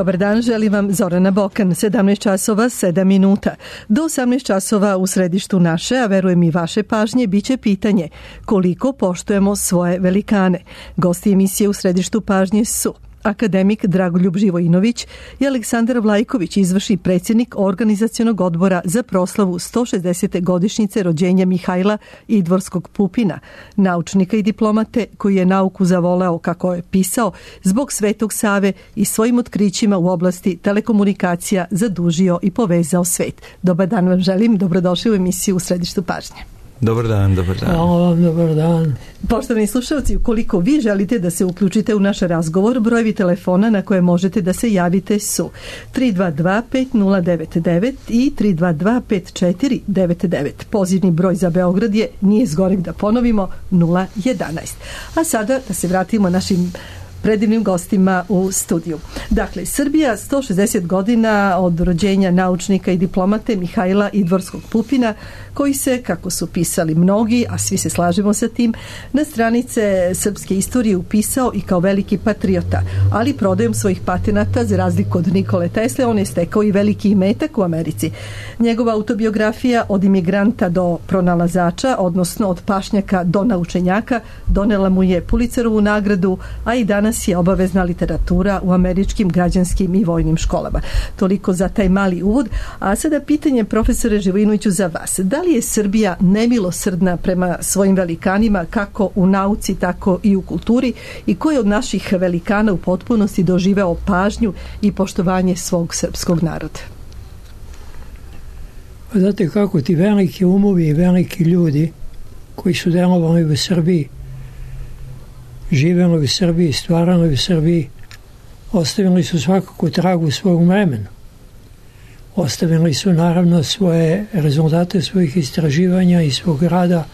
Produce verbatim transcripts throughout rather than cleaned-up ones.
Dobar dan, želim vam Zorana Bokan, sedamnaest časova sedam minuta. Do osamnaest časova u središtu naše, a verujem i vaše pažnje, biće pitanje koliko poštujemo svoje velikane. Gosti emisije u središtu pažnje su akademik Dragoljub Živojinović i Aleksandar Vlajković, izvršni predsjednik Organizacionog odbora za proslavu sto šezdesete godišnjice rođenja Mihajla Idvorskog Pupina, naučnika i diplomate koji je nauku zavoleo, kako je pisao, zbog Svetog Save i svojim otkrićima u oblasti telekomunikacija zadužio i povezao svet. Dobar dan vam želim, dobrodošli u emisiju u središtu pažnje. Dobar dan, dobar dan. Hvala vam, dobar dan. Poštovani slušalci, ukoliko vi želite da se uključite u naš razgovor, brojevi telefona na koje možete da se javite su tri dva dva pet nula devet devet i tri dva dva pet četiri devet devet. Pozivni broj za Beograd je, nije zgoreg da ponovimo, nula jedanaest. A sada da se vratimo našim predivnim gostima u studiju. Dakle, Srbija sto šezdeset godina od rođenja naučnika i diplomate Mihajla Idvorskog Pupina, koji se, kako su pisali mnogi, a svi se slažemo sa tim, na stranice srpske istorije upisao i kao veliki patriota, ali prodajom svojih patenata, za razliku od Nikole Tesle, on je stekao i veliki imetak u Americi. Njegova autobiografija Od imigranta do pronalazača, odnosno od pašnjaka do naučenjaka, donela mu je Pulitzerovu nagradu, a i danas je obavezna literatura u američkim građanskim i vojnim školama. Toliko za taj mali uvod. A sada pitanje, profesore Živojinoviću, za vas. Da li je Srbija nemilosrdna prema svojim velikanima, kako u nauci, tako i u kulturi, i koji od naših velikana u potpunosti doživeo pažnju i poštovanje svog srpskog naroda? Znate kako, ti veliki umovi i veliki ljudi koji su delovali u Srbiji, živjeli u Srbiji, stvarali u Srbiji, ostavili su svakako tragu svog vremena. Ostavili su naravno svoje rezultate svojih istraživanja i svog rada,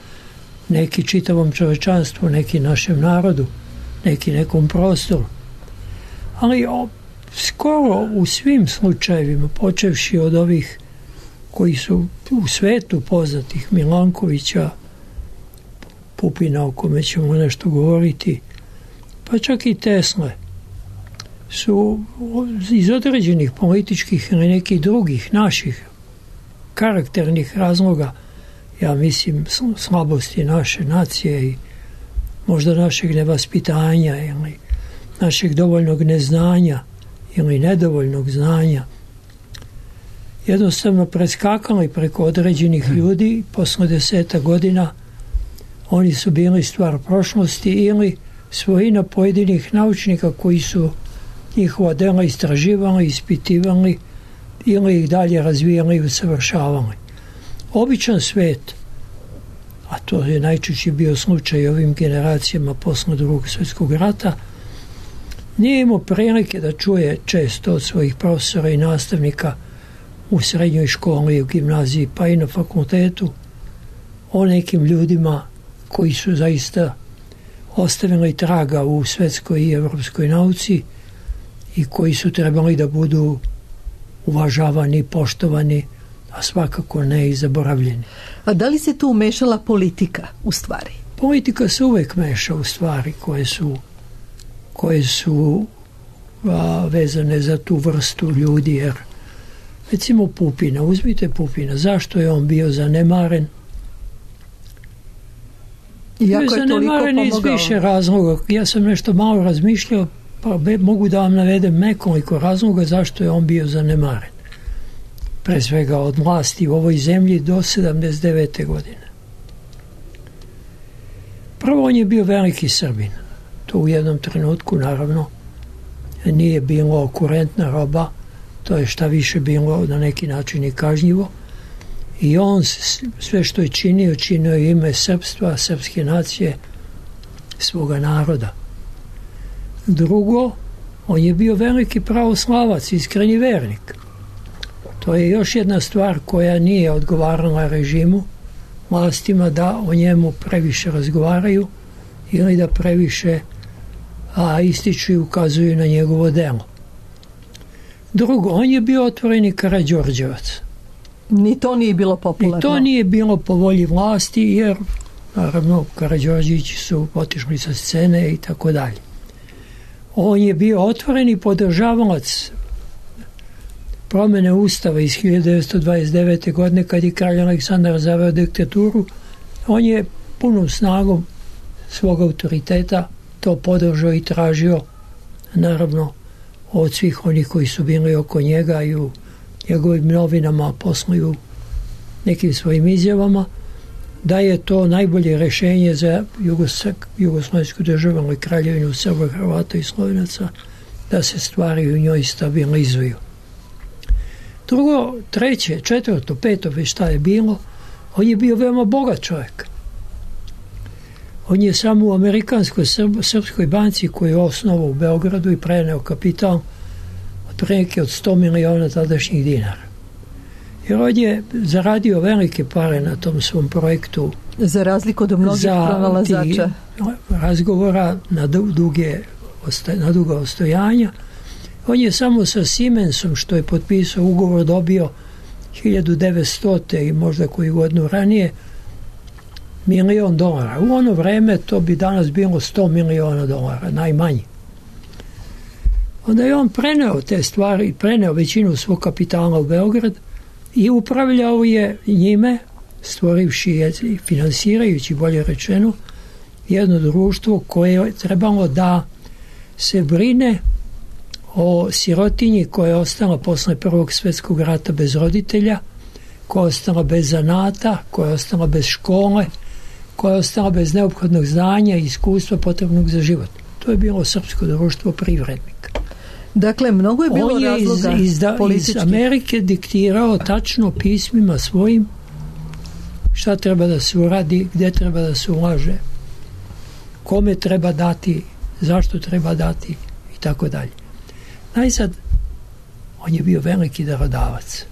neki čitavom čovečanstvu, neki našem narodu, neki nekom prostoru. Ali o, skoro u svim slučajevima, počevši od ovih koji su u svetu poznatih, Milankovića, Pupina, o kome ćemo nešto govoriti, pa čak i Tesle, su iz određenih političkih ili nekih drugih naših karakternih razloga, ja mislim slabosti naše nacije i možda našeg nevaspitanja ili našeg dovoljnog neznanja ili nedovoljnog znanja, jednostavno preskakali preko određenih ljudi. Posle deseta godina oni su bili stvar prošlosti ili svojina pojedinih naučnika koji su njihova dela istraživali, ispitivali ili ih dalje razvijali i usavršavali. Običan svet, a to je najčešće bio slučaj ovim generacijama posle Drugog svjetskog rata, nije imao prilike da čuje često od svojih profesora i nastavnika u srednjoj školi, u gimnaziji, pa i na fakultetu, o nekim ljudima koji su zaista ostavili traga u svetskoj i evropskoj nauci i koji su trebali da budu uvažavani, poštovani, a svakako ne i zaboravljeni. A da li se tu umešala politika u stvari? Politika se uvek meša u stvari koje su, koje su a, vezane za tu vrstu ljudi, jer recimo Pupina, uzmite Pupina, zašto je on bio zanemaren? Iako je zanemaren iz više razloga. Ja sam nešto malo razmišljao, pa mogu da vam navedem nekoliko razloga zašto je on bio zanemaren. Pre svega od vlasti u ovoj zemlji do sedamdeset devete godine. Prvo, on je bio veliki Srbin. To u jednom trenutku, naravno, nije bilo kurentna roba, to je šta više bilo na neki način i kažnjivo. I on sve što je činio, činio je ime srpstva, srpske nacije, svoga naroda. Drugo, on je bio veliki pravoslavac, iskreni vernik. To je još jedna stvar koja nije odgovarala režimu, vlastima, da o njemu previše razgovaraju ili da previše a, ističu i ukazuju na njegovo delo. Drugo, on je bio otvoreni Karađorđevac. Ni to nije bilo popularno. Ni to nije bilo po volji vlasti, jer naravno Karađorđevići su otišli sa scene i tako dalje. On je bio otvoreni podržavalac promjene Ustava iz hiljadu devetsto dvadeset devete. godine kad je kralj Aleksandar zaveo diktaturu, on je punom snagom svog autoriteta to podržao i tražio, naravno, od svih onih koji su bili oko njega i u njegovim novinama, posle u nekim svojim izjavama, da je to najbolje rješenje za jugoslovensku državu, ali kraljevinu Srba, Hrvata i Slovenaca, da se stvari u njoj stabilizuju. Drugo, treće, četvrto, peto, već šta je bilo, on je bio veoma bogat čovjek. On je samo u Amerikanskoj Srb, srpskoj banci koju je osnovao u Beogradu i preneo kapital otprilike od sto miliona tadašnjih dinara. Jer on je zaradio velike pare na tom svom projektu. Za razliku od mnogih pronalazača. Razgovora na duge, na duga ostojanja. On je samo sa Siemensom, što je potpisao ugovor, dobio hiljadu devetsto. i možda koju godinu ranije milion dolara. U ono vreme to bi danas bilo sto miliona dolara, najmanje. Onda je on preneo te stvari, preneo većinu svog kapitala u Beograd i upravljao je njime, stvorivši i finansirajući, bolje rečeno, jedno društvo koje je trebalo da se brine o sirotinji koja je ostala posle Prvog svjetskog rata bez roditelja, koja je ostala bez zanata, koja je ostala bez škole, koja je ostala bez neophodnog znanja i iskustva potrebnog za život. To je bilo srpsko društvo privrednika. Dakle, mnogo je bilo on je razloga iz, iz, da, iz Amerike diktirao tačno pismima svojim šta treba da se uradi, gdje treba da se ulaže, kome treba dati, zašto treba dati i tako dalje. Najzad, on je bio veliki darodavac.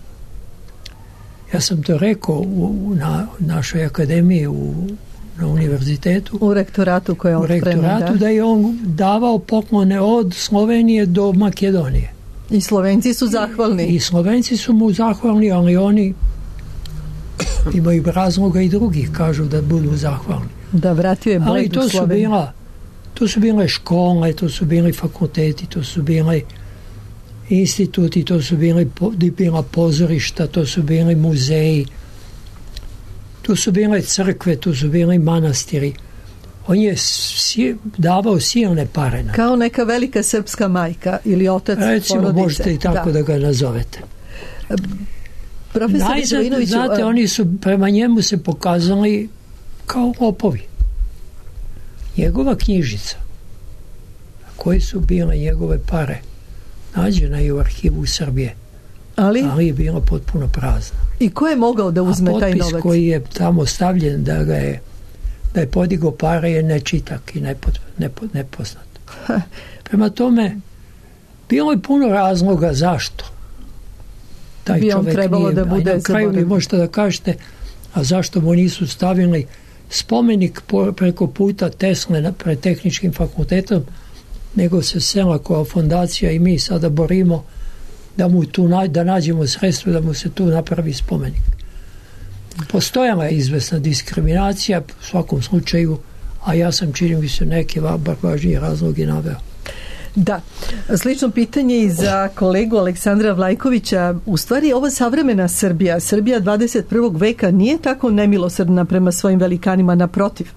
Ja sam to rekao u, na našoj akademiji u, na univerzitetu. U rektoratu koje je U rektoratu da? da je on davao poklone od Slovenije do Makedonije. I Slovenci su zahvalni. I, i Slovenci su mu zahvalni, ali oni imaju razloga i drugih kažu da budu zahvalni. Da, vratio je ali to su bila, to su bile škole, to su bili fakulteti, to su bile instituti, to su bili, bila pozorišta, to su bili muzeji, tu su bile crkve, tu su bili manastiri. On je si, davao silne pare na. Kao neka velika srpska majka ili otac recimo, porodice. Možete i tako da, da ga nazovete. Profesor Najzad, znate, a... oni su prema njemu se pokazali kao lopovi. Njegova knjižica, koje su bile njegove pare, nađena je u arhivu Srbije, ali, ali je bila potpuno prazna. I ko je mogao da uzme taj novac? A potpis koji je tamo stavljen da ga je da je podigao pare je nečitak i nepot, nepot, nepoznat. Prema tome, bilo je puno razloga zašto taj bi čovjek trebalo nije, da bude na kraju vi možete da kažete, a zašto mu nisu stavili spomenik po, preko puta Tesle pred tehničkim fakultetom, nego se Selakova fondacija i mi sada borimo da mu tu da nađemo sredstvo da mu se tu napravi spomenik. Postojala je izvesna diskriminacija u svakom slučaju, a ja sam čini mi se neke bar važnije razloge naveo. Da, slično pitanje i za kolegu Aleksandra Vlajkovića. U stvari ova savremena Srbija, Srbija dvadeset prvog veka nije tako nemilosrdna prema svojim velikanima, naprotiv.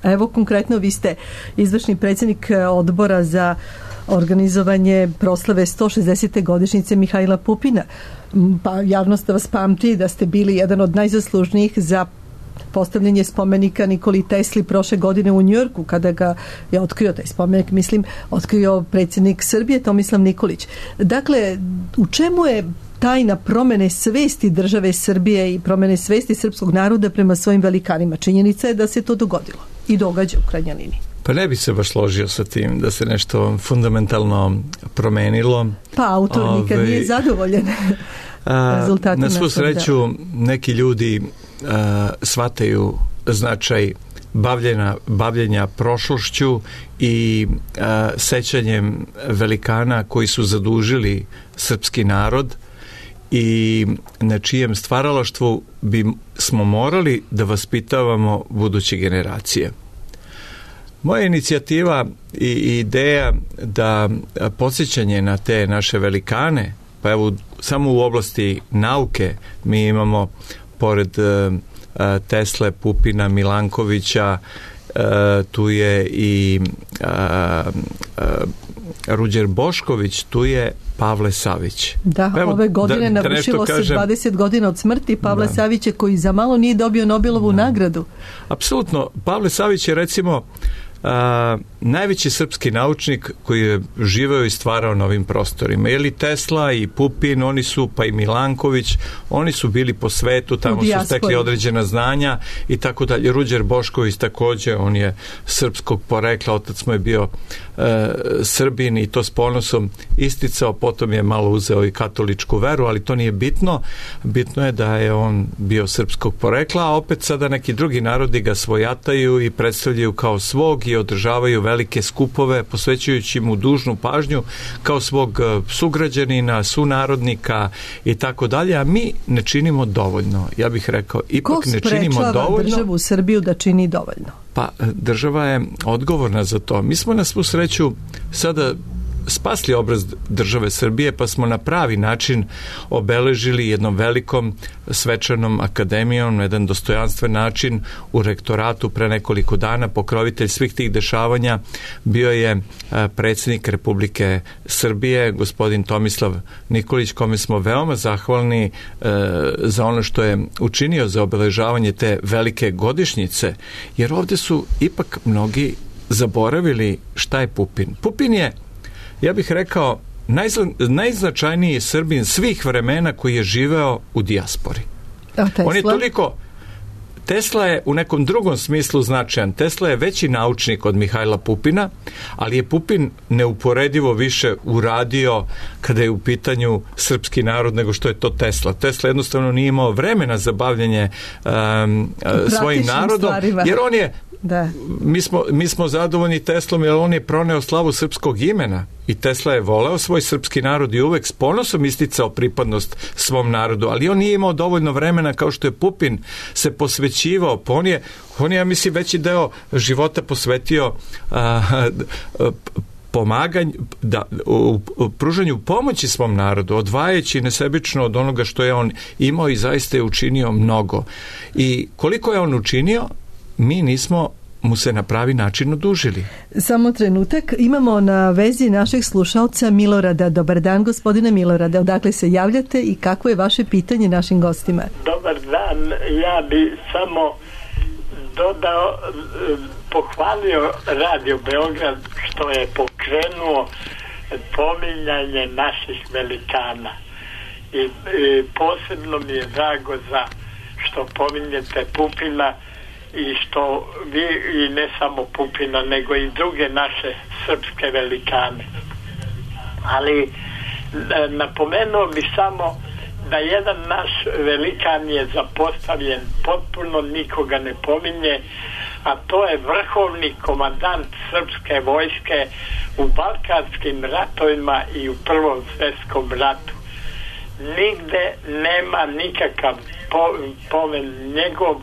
Evo konkretno vi ste izvršni predsjednik odbora za organizovanje proslave sto šezdesete godišnjice Mihajla Pupina. Pa javnost vas pamti da ste bili jedan od najzaslužnijih za postavljanje spomenika Nikoli Tesli prošle godine u Njujorku, kada ga je otkrio taj spomenik, mislim, otkrio predsjednik Srbije Tomislav Nikolić. Dakle, u čemu je tajna promene svesti države Srbije i promene svesti srpskog naroda prema svojim velikanima? Činjenica je da se to dogodilo i događa u krajnjoj liniji. Pa ne bi se baš složio sa tim da se nešto fundamentalno promenilo. Pa autor nikad Ove, nije zadovoljen rezultatom. Na svu sreću neki ljudi a, shvataju značaj bavljenja, bavljenja prošlošću i a, sećanjem velikana koji su zadužili srpski narod i na čijem stvaralaštvu bi smo morali da vaspitavamo buduće generacije. Moja inicijativa i ideja da podsjećanje na te naše velikane pa evo samo u oblasti nauke mi imamo pored uh, Tesle, Pupina, Milankovića, uh, tu je i uh, uh, Ruđer Bošković, tu je Pavle Savić. Da, evo, ove godine da, navršilo da se kažem, dvadeset godina od smrti Pavle da. Savića, koji za malo nije dobio Nobelovu da. nagradu. Apsolutno. Pavle Savić je recimo a, najveći srpski naučnik koji je živeo i stvarao na ovim prostorima. Ili Tesla i Pupin, oni su, pa i Milanković, oni su bili po svetu, tamo su stekli određena znanja i tako dalje. Ruđer Bošković takođe, on je srpskog porekla, otac mu je bio e, Srbin i to s ponosom isticao, potom je malo uzeo i katoličku veru, ali to nije bitno. Bitno je da je on bio srpskog porekla, a opet sada neki drugi narodi ga svojataju i predstavljaju kao svog i održavaju velike skupove, posvećujući mu dužnu pažnju kao svog sugrađanina, sunarodnika i tako dalje, a mi ne činimo dovoljno. Ja bih rekao, ipak ne činimo dovoljno. Ko sprečava državu Srbiju da čini dovoljno? Pa, država je odgovorna za to. Mi smo na svu sreću sada spasli obraz države Srbije, pa smo na pravi način obeležili jednom velikom svečanom akademijom na jedan dostojanstven način u rektoratu pre nekoliko dana. Pokrovitelj svih tih dešavanja bio je predsjednik Republike Srbije, gospodin Tomislav Nikolić, kome smo veoma zahvalni e, za ono što je učinio za obeležavanje te velike godišnjice, jer ovdje su ipak mnogi zaboravili šta je Pupin. Pupin je, ja bih rekao, najzna, najznačajniji Srbin svih vremena koji je živeo u dijaspori. On je toliko... Tesla je u nekom drugom smislu značajan. Tesla je veći naučnik od Mihajla Pupina, ali je Pupin neuporedivo više uradio kada je u pitanju srpski narod nego što je to Tesla. Tesla jednostavno nije imao vremena za bavljanje um, svojim narodom, stvarima. Jer on je Da. Mi, smo, mi smo zadovoljni Teslom jer on je proneo slavu srpskog imena i Tesla je voleo svoj srpski narod i uvek s ponosom isticao pripadnost svom narodu, ali on nije imao dovoljno vremena kao što je Pupin se posvećivao. Pa on je, on je ja mislim, veći deo života posvetio a, a, pomaganju, da, u, u pružanju pomoći svom narodu, odvajajući nesebično od onoga što je on imao i zaista je učinio mnogo. I koliko je on učinio, mi nismo mu se na pravi način odužili. Samo trenutak, imamo na vezi našeg slušalca Milorada. Dobar dan, gospodine Milorade, odakle se javljate i kako je vaše pitanje našim gostima? Dobar dan, ja bi samo dodao, pohvalio Radio Beograd što je pokrenuo pominjanje naših velikana i, i posebno mi je drago za što pominjete Pupina i što vi, i ne samo Pupina, nego i druge naše srpske velikane. Ali napomenuo bi samo da jedan naš velikan je zapostavljen, potpuno nikoga ne pominje, a to je vrhovni komandant srpske vojske u balkanskim ratovima i u Prvom svjetskom ratu. Nigde nema nikakav po, pomen njegov.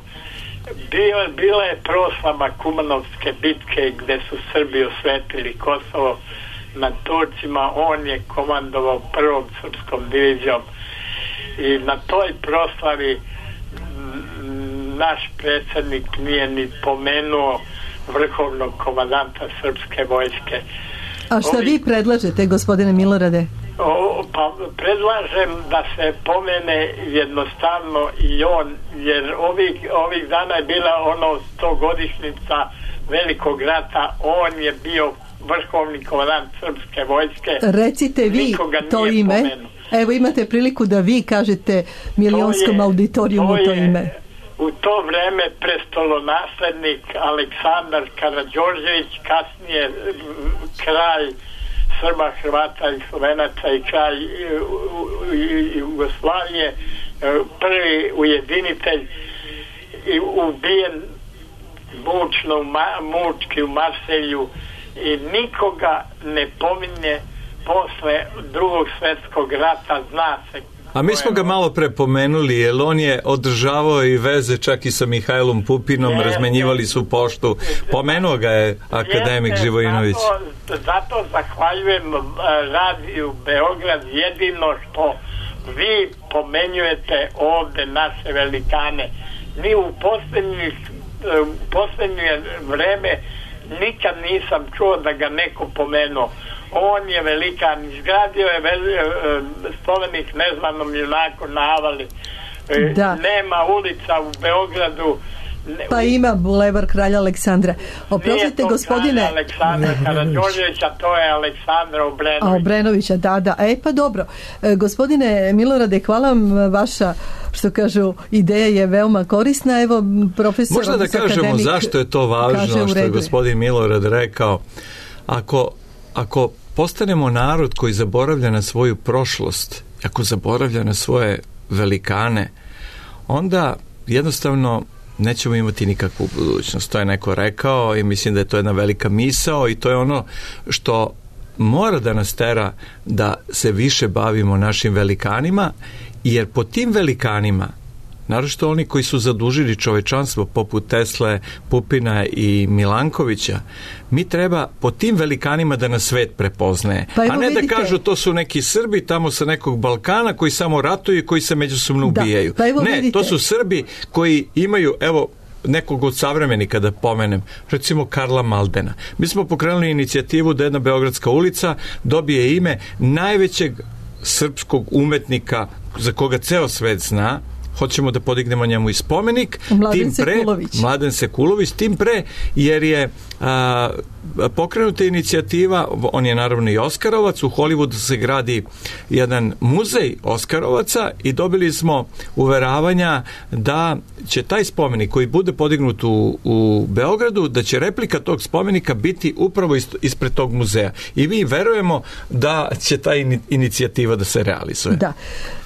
Bio, bila je proslava Kumanovske bitke gdje su Srbi osvetili Kosovo nad Turcima. On je komandovao prvom srpskom divizijom i na toj proslavi naš predsjednik nije ni pomenuo vrhovnog komandanta srpske vojske. A šta Ovi... vi predlažete, gospodine Milorade? O, pa predlažem da se pomene jednostavno i on, jer ovih, ovih dana je bila ono stogodišnjica velikog rata, on je bio vrhovni komandant srpske vojske. Recite vi to ime. Pomenu. Evo imate priliku da vi kažete milionskom auditorijumu to, to ime. U to vreme prestolonaslednik Aleksandar Karađorđević, kasnije kralj Srba, Hrvata i Slovenaca i kralj Jugoslavije, prvi ujedinitelj i ubijen mučno, mučki u Marselju i nikoga ne pominje posle drugog svjetskog rata. Zna se A mi smo ga malo prepomenuli, jer on je održavao i veze čak i sa Mihajlom Pupinom, je, razmenjivali su poštu. Pomenuo ga je akademik je, Živojinović. Zato, zato zahvaljujem radiju Beograd, jedino što vi pomenjujete ovde naše velikane. Mi u posljednjih u posljednje vreme nikad nisam čuo da ga neko pomenuo. On je velikan, izgradio je veli, spomenik nezvanom junaku na Avali. Da. Nema ulica u Beogradu. Pa ima bulevar Kralja Aleksandra. Oprostite, gospodine... Nije to Aleksandra Karađorđevića, to je Aleksandra Obrenovića. A Obrenovića, da, da. E, pa dobro. E, gospodine Milorade, hvala vam, vaša, što kažu, ideja je veoma korisna. Evo, profesor... Možda da kažemo akademik, zašto je to važno, što je gospodin Milorad rekao. Ako, ako postanemo narod koji zaboravlja na svoju prošlost, ako zaboravlja na svoje velikane, onda jednostavno nećemo imati nikakvu budućnost. To je neko rekao i mislim da je to jedna velika misao i to je ono što mora da nas tera da se više bavimo našim velikanima, jer po tim velikanima, naročito oni koji su zadužili čovečanstvo poput Tesle, Pupina i Milankovića, mi treba po tim velikanima da nas svet prepoznaje. Pa a ne vidite, da kažu to su neki Srbi tamo sa nekog Balkana koji samo ratuju i koji se međusobno ubijaju. Da, pa ne, vidite, to su Srbi koji imaju, evo, nekog od savremenika da pomenem, recimo Karla Maldena. Mi smo pokrenuli inicijativu da jedna beogradska ulica dobije ime najvećeg srpskog umetnika za koga ceo svet zna. Hoćemo da podignemo njemu i spomenik. Mladen tim pre, Sekulović. Mladen Sekulović, tim pre, jer je a, pokrenuta inicijativa, on je naravno i Oskarovac, u Hollywoodu se gradi jedan muzej Oskarovaca i dobili smo uveravanja da će taj spomenik koji bude podignut u, u Beogradu, da će replika tog spomenika biti upravo ispred tog muzeja. I mi verujemo da će ta inicijativa da se realizuje. Da.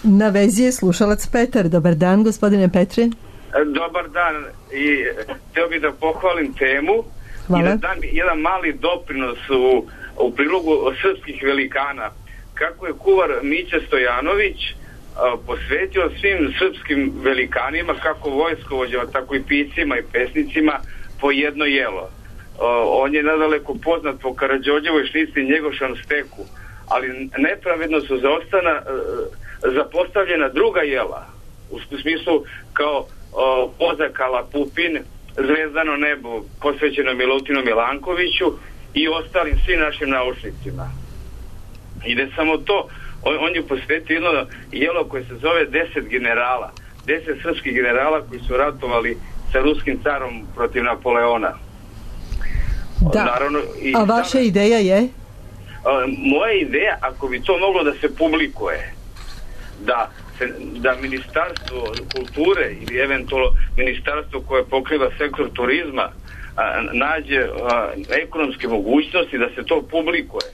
Na vezi je slušalac Petar. Dobar dan, gospodine Petre. Dobar dan i htio bih da pohvalim temu. Hvala. I da dam jedan mali doprinos u, u prilogu srpskih velikana. Kako je kuvar Mića Stojanović a, posvetio svim srpskim velikanima, kako vojskovođama, tako i piscima i pesnicima, po jedno jelo. A, on je nadaleko poznat po Karađorđevoj šnici i Njegošan steku, ali nepravedno su zaostana a, zapostavljena druga jela, u smislu kao a, Pozakala Pupin, Zvezdano nebo posvećeno Milutinu Milankoviću i ostalim svim našim naučnicima. I ne samo to, on, on je posvetio jedno jelo koje se zove deset generala, deset srpskih generala koji su ratovali sa ruskim carom protiv Napoleona. Da, naravno, i a vaša sam, ideja je? A, moja ideja, ako bi to moglo da se publikuje, da da Ministarstvo kulture ili eventualno ministarstvo koje pokriva sektor turizma a, nađe a, ekonomske mogućnosti da se to publikuje.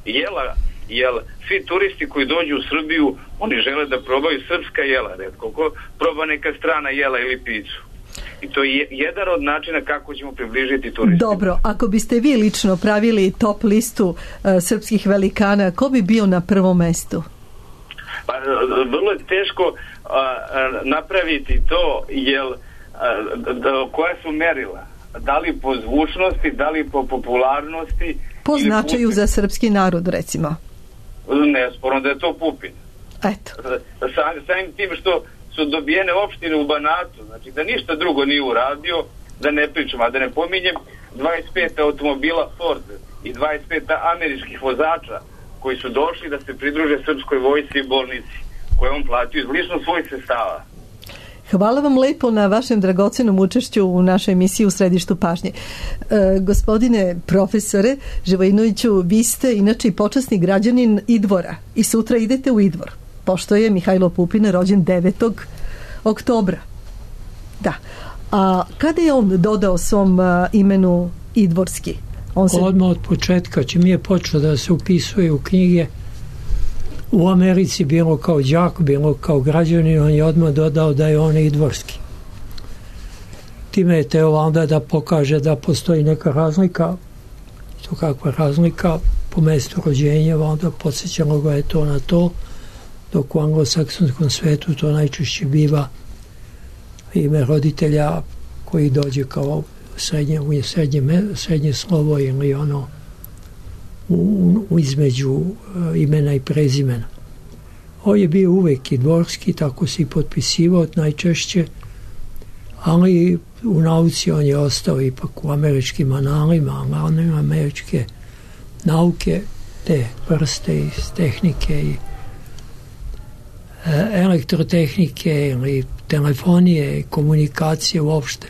Jela, jel svi turisti koji dođu u Srbiju, oni žele da probaju srpska jela, retko ko proba neka strana jela ili picu. I to je jedan od načina kako ćemo približiti turistima. Dobro, ako biste vi lično pravili top listu uh, srpskih velikana, ko bi bio na prvom mestu? Pa, vrlo je teško a, a, napraviti to, jel, a, da, koja su merila? Da li po zvučnosti, da li po popularnosti? Po značaju za srpski narod, recimo. Nesporno da je to Pupin. Eto. Sa, samim tim što su dobijene opštine u Banatu, znači da ništa drugo nije uradio, da ne pričam, a da ne pominjem dvadeset pet automobila Ford i dvadeset pet američkih vozača koji su došli da se pridruže srpskoj vojsci i bolnici, koje on platio iz lično svojih sredstava. Hvala vam lepo na vašem dragocenom učešću u našoj emisiji U središtu pažnje. E, gospodine profesore Živojinoviću, vi ste inače i počasni građanin Idvora i sutra idete u Idvor, pošto je Mihajlo Pupin rođen devetog oktobra. Da. A kada je on dodao svom a, imenu Idvorski? On se... Odmah od početka, čim je počeo da se upisuje u knjige u Americi, bilo kao đak, bilo kao građanin, on je odmah dodao da je on idvorski. Time je teo onda da pokaže da postoji neka razlika, to kakva razlika po mestu rođenja, onda podsjećalo ga je to na to, dok u anglosaksonskom svetu to najčešće biva ime roditelja koji dođe kao srednje, srednje, srednje slovo ili ono u, u između uh, imena i prezimena. On je bio uvek i dvorski, tako se i potpisivao najčešće, ali u nauci on je ostao ipak u američkim analima, analima američke nauke, te vrste iz tehnike i e, elektrotehnike ili telefonije i komunikacije uopšte,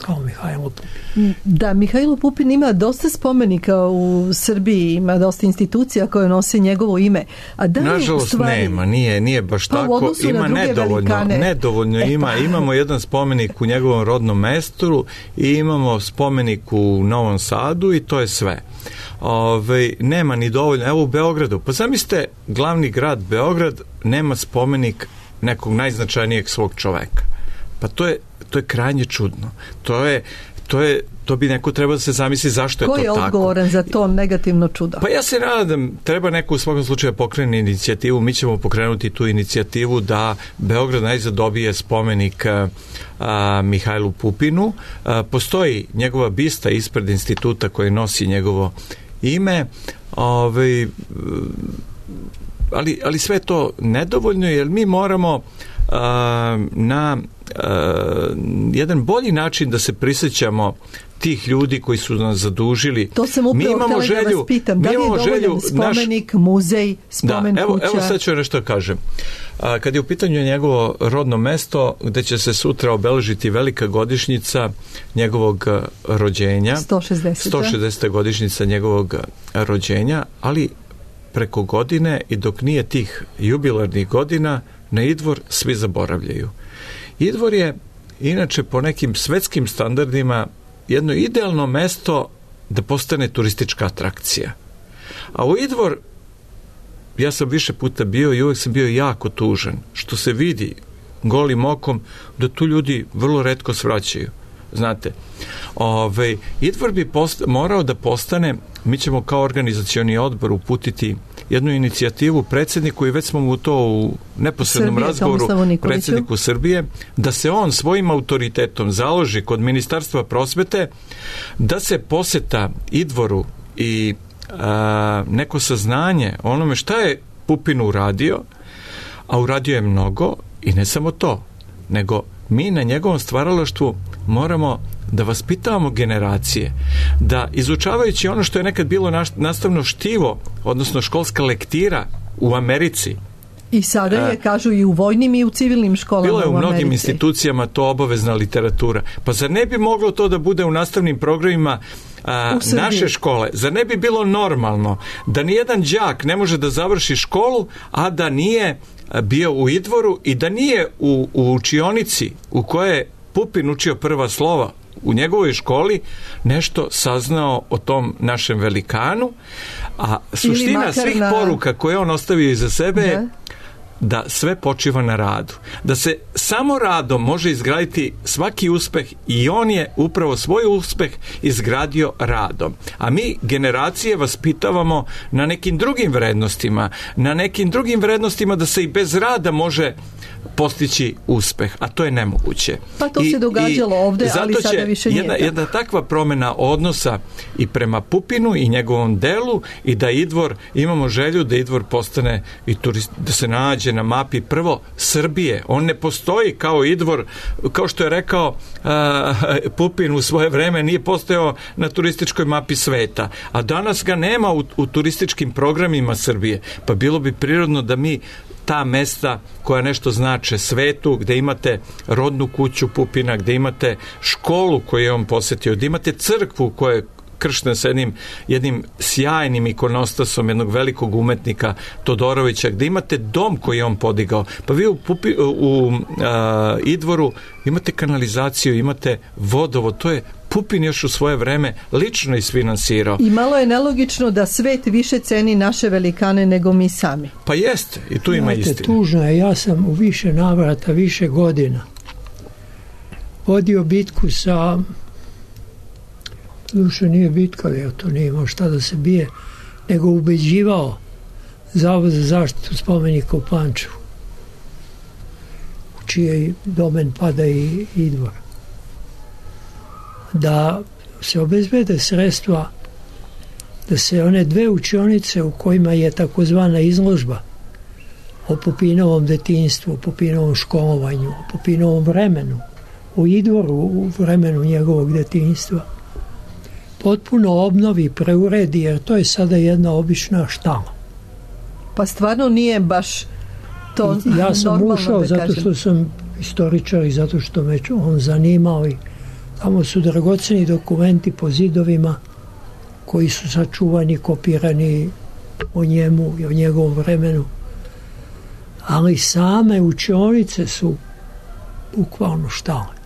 kao Mihajlo Pupin. Da, Mihajlo Pupin ima dosta spomenika u Srbiji, ima dosta institucija koje nose njegovo ime. A da nažalost stvari, nema, nije, nije baš pa tako. Ima nedovoljno, velikane. nedovoljno e, ima. pa. Imamo jedan spomenik u njegovom rodnom mestu i imamo spomenik u Novom Sadu i to je sve. Ove, nema ni dovoljno. Evo u Beogradu, pa zamislite, glavni grad Beograd nema spomenik nekog najznačajnijeg svog čoveka. Pa to je, to je krajnje čudno. To je, to je, to bi neko trebao da se zamisli zašto je to tako. Ko je odgovoran za to negativno čudo? Pa ja se nadam, treba neko u svakom slučaju pokrene inicijativu, mi ćemo pokrenuti tu inicijativu da Beograd najzad dobije spomenik a, Mihajlu Pupinu. A, postoji njegova bista ispred instituta koji nosi njegovo ime, ove, ali, ali sve to nedovoljno, jer mi moramo a, na a, jedan bolji način da se prisjećamo tih ljudi koji su nas zadužili. To sam upravo htjela želju, da vas pitam. Da li je dovoljan spomenik, naš, muzej, spomen da, evo, kuća? Evo sad ću nešto kažem. A, kad je u pitanju njegovo rodno mesto, gde će se sutra obeležiti velika godišnjica njegovog rođenja. sto šezdeseta. sto šezdeseta godišnjica njegovog rođenja, ali preko godine i dok nije tih jubilarnih godina, na Idvor svi zaboravljaju. Idvor je, inače, po nekim svetskim standardima jedno idealno mesto da postane turistička atrakcija. A u Idvor, ja sam više puta bio i uvek sam bio jako tužan, što se vidi golim okom da tu ljudi vrlo retko svraćaju. Znate, ove, Idvor bi post, morao da postane, mi ćemo kao organizacioni odbor uputiti jednu inicijativu predsjedniku i već smo mu to u neposrednom Srbije, razgovoru predsjedniku Srbije, da se on svojim autoritetom založi kod Ministarstva prosvete da se poseta Idvoru i a, neko saznanje onome šta je Pupin uradio, a uradio je mnogo i ne samo to, nego mi na njegovom stvaralaštvu moramo da vaspitavamo generacije, da izučavajući ono što je nekad bilo nastavno štivo, odnosno školska lektira u Americi. I sada je, kažu, i u vojnim i u civilnim školama u Americi. Bilo je u mnogim institucijama to obavezna literatura. Pa zar ne bi moglo to da bude u nastavnim programima a, naše škole? Zar ne bi bilo normalno da nijedan đak ne može da završi školu, a da nije bio u Idvoru i da nije u, u učionici u kojoj je Pupin učio prva slova u njegovoj školi nešto saznao o tom našem velikanu, a suština svih na... poruka koje on ostavio iza sebe je da sve počiva na radu. Da se samo radom može izgraditi svaki uspeh i on je upravo svoj uspeh izgradio radom. A mi generacije vaspitavamo na nekim drugim vrednostima, na nekim drugim vrednostima da se i bez rada može postići uspeh, a to je nemoguće. Pa to I, se događalo ovde, ali sada više nije. Jedna, jedna takva promjena odnosa i prema Pupinu i njegovom delu i da Idvor, imamo želju da Idvor postane i turist, da se nađe na mapi prvo Srbije. On ne postoji kao Idvor, kao što je rekao uh, Pupin u svoje vreme, nije postojao na turističkoj mapi sveta. A danas ga nema u, u turističkim programima Srbije. Pa bilo bi prirodno da mi ta mesta koja nešto znače svetu, gde imate rodnu kuću Pupina, gde imate školu koju je on posjetio, gde imate crkvu koja je krštena sa jednim, jednim sjajnim ikonostasom jednog velikog umetnika Todorovića, gde imate dom koji je on podigao. Pa vi u, Pupi, u a, Idvoru imate kanalizaciju, imate vodovod, to je Pupin još u svoje vreme lično isfinansirao. I malo je nelogično da svet više ceni naše velikane nego mi sami. Pa jeste, i tu ima istine. Tužno je, ja sam u više navrata, više godina vodio bitku sa, duše nije bitka, jer to nije imao šta da se bije, nego ubeđivao Zavod za zaštitu spomenika u Pančevu, u čiji domen pada i, i dvor. Da se obezbede sredstva da se one dve učionice u kojima je takozvana izložba o Pupinovom detinjstvu, o Pupinovom školovanju, o Pupinovom vremenu, o Idvoru u vremenu njegovog detinjstva, potpuno obnovi, preuredi, jer to je sada jedna obična štala. Pa stvarno nije baš to normalno. Ja sam ušao da zato kažem. što sam istoričar i zato što me on zanimao i tamo su dragoceni dokumenti po zidovima koji su sačuvani, kopirani o njemu i o njegovom vremenu. Ali same učionice su bukvalno štale.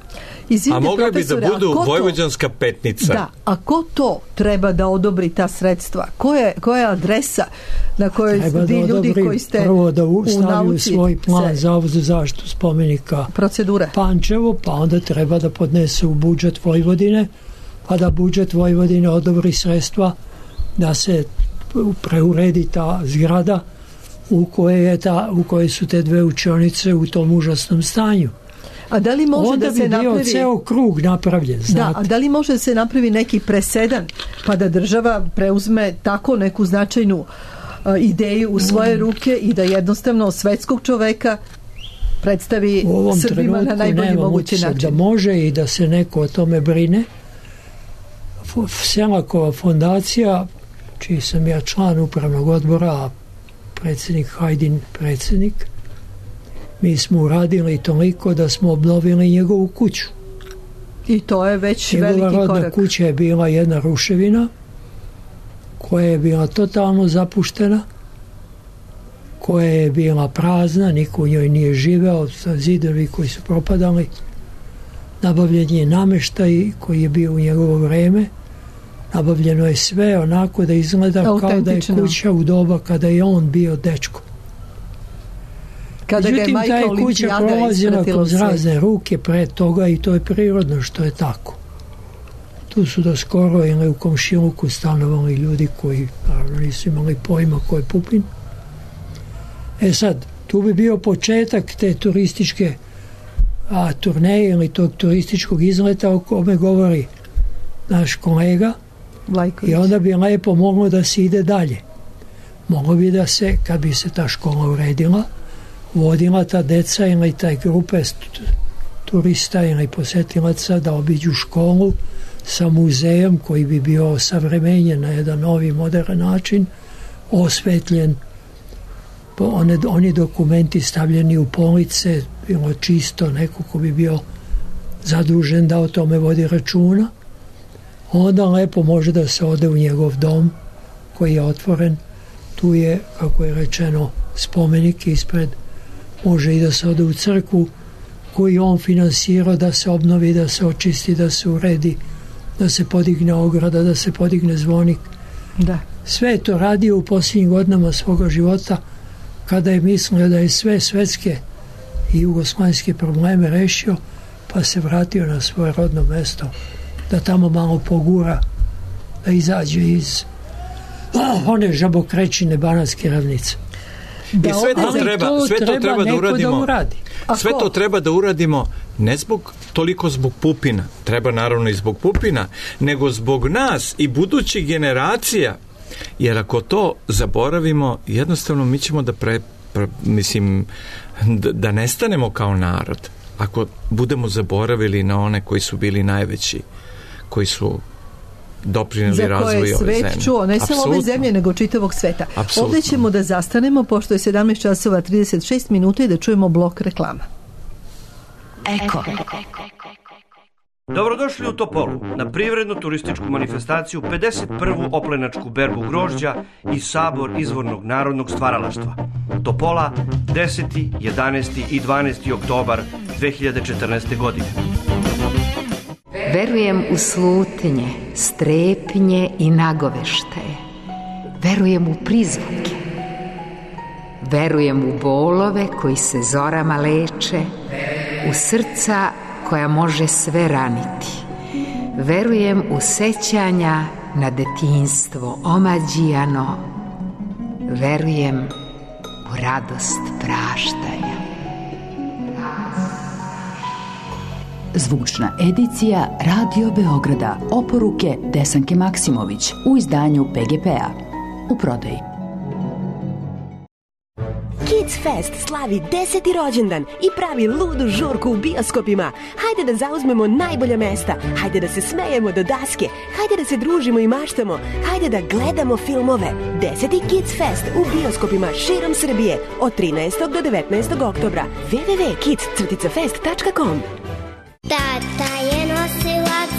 Izvite, a mogli bi da budu to, Vojvođanska petnica. Da, a ko to treba da odobri ta sredstva? Ko je, koja je adresa na kojoj treba ti da ljudi koji ste prvo da u, u nauci svoj plan Zavod za zaštitu spomenika procedure Pančevo, pa onda treba da podnese u budžet Vojvodine, pa da budžet Vojvodine odobri sredstva da se preuredi ta zgrada u kojoj je ta, u kojoj su te dve učionice u tom užasnom stanju. A da li može onda da se bi bio napravi ceo krug napravljen, znate. Da, a da li može da se napravi neki presedan pa da država preuzme tako neku značajnu uh, ideju u svoje ruke i da jednostavno svetskog čoveka predstavi Srbima na najbolji mogući način? Da može i da se neko o tome brine. Selakova fondacija, čiji sam ja član upravnog odbora, a predsjednik Hajdin predsjednik, mi smo uradili toliko da smo obnovili njegovu kuću. I to je već Njegova veliki korak. Njegova rodna kuća je bila jedna ruševina koja je bila totalno zapuštena, koja je bila prazna, niko u njoj nije živeo, zidovi koji su propadali. Nabavljen je nameštaj koji je bio u njegovo vreme. Nabavljeno je sve onako da izgleda kao da je kuća u doba kada je on bio dečko. Kada Međutim, ta je kuća prolazila kroz razne ruke pre toga i to je prirodno što je tako. Tu su do skoro ili u komšiluku stanovali ljudi koji naravno nisu imali pojma ko je Pupin. E sad, tu bi bio početak te turističke a, turneje ili tog turističkog izleta o kome govori naš kolega. Lajković. I onda bi lepo moglo da se ide dalje. Moglo bi da se, kad bi se ta škola uredila, vodila ta deca ili taj grupe turista ili posetilaca da obiđu školu sa muzejom koji bi bio osavremenjen na jedan novi modern način, osvetljen, one, oni dokumenti stavljeni u police, bilo čisto, neko ko bi bio zadužen da o tome vodi računa. Onda lepo može da se ode u njegov dom koji je otvoren. Tu je, kako je rečeno, spomenik ispred. Može i da se ode u crkvu koju on finansirao da se obnovi, da se očisti, da se uredi, da se podigne ograda, da se podigne zvonik. Da. Sve je to radio u posljednjim godinama svoga života kada je mislio da je sve svetske i jugoslovenske probleme rešio, pa se vratio na svoje rodno mesto da tamo malo pogura, da izađe iz oh, one žabokrećine Banatske ravnice. Da, I sve to treba, to sve to treba, treba da uradimo. Da sve to treba da uradimo ne zbog toliko zbog Pupina, treba naravno i zbog Pupina, nego zbog nas i budućih generacija. Jer ako to zaboravimo, jednostavno mi ćemo da pre, pre mislim da, da nestanemo kao narod. Ako budemo zaboravili na one koji su bili najveći, koji su doprineli razvoju ove zemlje. Za koje je svet čuo, ne samo ove zemlje, nego čitavog sveta. Apsolutno. Ovdje ćemo da zastanemo, pošto je sedamnaest časova trideset šest minuta i da čujemo blok reklama. Eko. Dobrodošli u Topolu, na privrednu turističku manifestaciju pedeset prvu oplenačku berbu grožđa i sabor izvornog narodnog stvaralaštva. Topola, deseti, jedanaesti i dvanaesti oktobar dve hiljade četrnaeste. godine. Verujem u slutnje, strepnje i nagoveštaje. Verujem u prizvuke. Verujem u bolove koji se zorama leče, u srca koja može sve raniti. Verujem u sećanja na detinjstvo omađijano. Verujem u radost praštanja. Zvučna edicija Radio Beograda. Oporuke Desanke Maksimović u izdanju P G P-a. U prodaji. Kids Fest slavi deseti rođendan i pravi ludu žurku u bioskopima. Hajde da zauzmemo najbolja mesta, hajde da se smejemo do daske, hajde da se družimo i maštamo, hajde da gledamo filmove. Deseti Kids Fest u bioskopima širom Srbije od trinaestog do devetnaestog oktobra. w w w tačka kids fest tačka com. Tata je nosilac